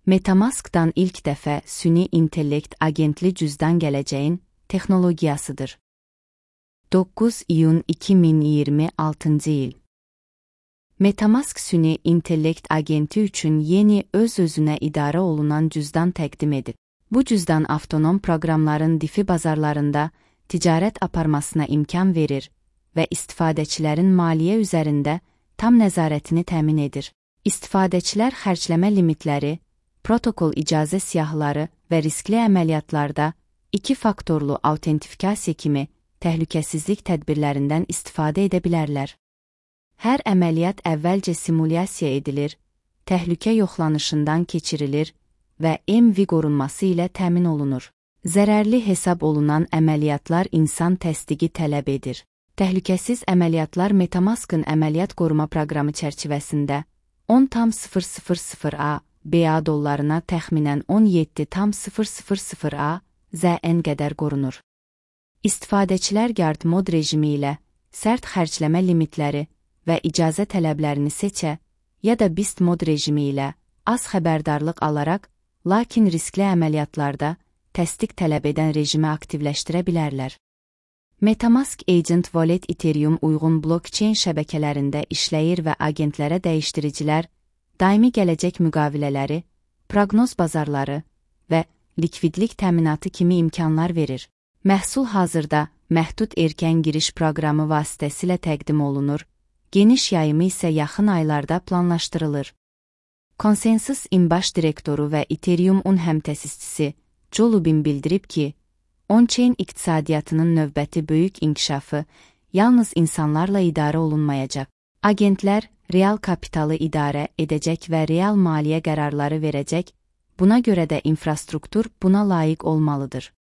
MetaMask'dan ilk dəfə süni intellekt agentli cüzdan gələcəyin texnologiyasıdır. 9 iyun 2026 il. MetaMask süni intellekt agenti üçün yeni öz-özünə idarə olunan cüzdan təqdim edib. Bu cüzdan avtonom proqramların DeFi bazarlarında ticarət aparmasına imkan verir və istifadəçilərin maliyyə üzərində tam nəzarətini təmin edir. İstifadəçilər xərcləmə limitləri, protokol icazə siyahıları və riskli əməliyyatlarda 2-faktorlu autentifikasiya kimi təhlükəsizlik tədbirlərindən istifadə edə bilərlər. Hər əməliyyat əvvəlcə simulyasiya edilir, təhlükə yoxlanışından keçirilir və MV qorunması ilə təmin olunur. Zərərli hesab olunan əməliyyatlar insan təsdiqi tələb edir. Təhlükəsiz əməliyyatlar MetaMask'ın əməliyyat qoruma proqramı çərçivəsində 10,000 BA dollarına təxminən 17,000 ZN qədər qorunur. İstifadəçilər guard mod rejimi ilə sərt xərcləmə limitləri və icazə tələblərini seçə, ya da beast mod rejimi ilə az xəbərdarlıq alaraq, lakin riskli əməliyyatlarda təsdiq tələb edən rejimi aktivləşdirə bilərlər. MetaMask Agent Wallet Ethereum uyğun blockchain şəbəkələrində işləyir və agentlərə dəyişdiricilər, daimi gələcək müqavilələri, proqnoz bazarları və likvidlik təminatı kimi imkanlar verir. Məhsul hazırda məhdud erkən giriş proqramı vasitəsilə təqdim olunur, geniş yayımı isə yaxın aylarda planlaşdırılır. ConsenSys-in baş direktoru və Ethereum-un həmtəsisçisi Joe Lubin bildirib ki, on-chain iqtisadiyyatının növbəti böyük inkişafı yalnız insanlarla idarə olunmayacaq. Agentlər real kapitalı idarə edəcək və real maliyyə qərarları verəcək, buna görə də infrastruktur buna layiq olmalıdır.